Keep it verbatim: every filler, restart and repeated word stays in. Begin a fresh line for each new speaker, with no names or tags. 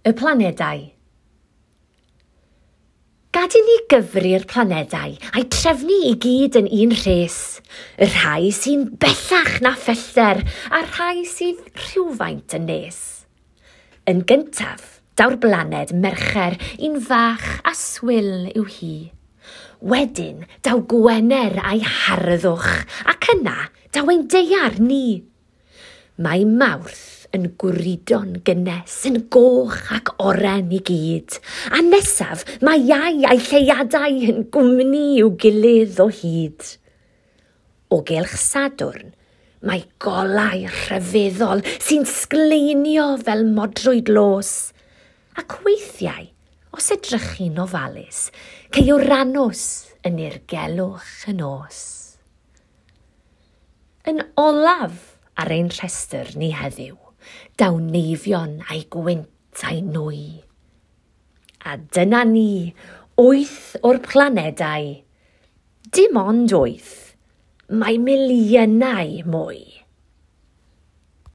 Y planedau. Gad i ni gyfri'r planedau a'i trefnu i gyd yn un rhes, y rhai sy'n bellach na phellter a'r rhai sydd rhywfaint yn nes. Yn gyntaf, daw'r blaned Mercher, un fach a swil yw hi. Wedyn, daw Gwener a'i harddwch, ac yna daw ein daear ni. Mae Mawrth yn gwrido'n gynnes, yn goch ac oren i gyd. A nesaf, mae Iau a'i lleuadau yn gwmni i'w gilydd o hyd. O gylch Sadwrn, mae golau rhyfeddol sy'n sgleinio fel modrwy dlos. Ac weithiau, os edrychi'n ofalus, cei Uranus yn nirgelwch y nos. Yn olaf ar ein rhestr ni heddiw, daw Neifion a'i gwynt a'i nwy. A dyna ni, wyth o'r planedau. Dim ond wyth, mae miliynau mwy.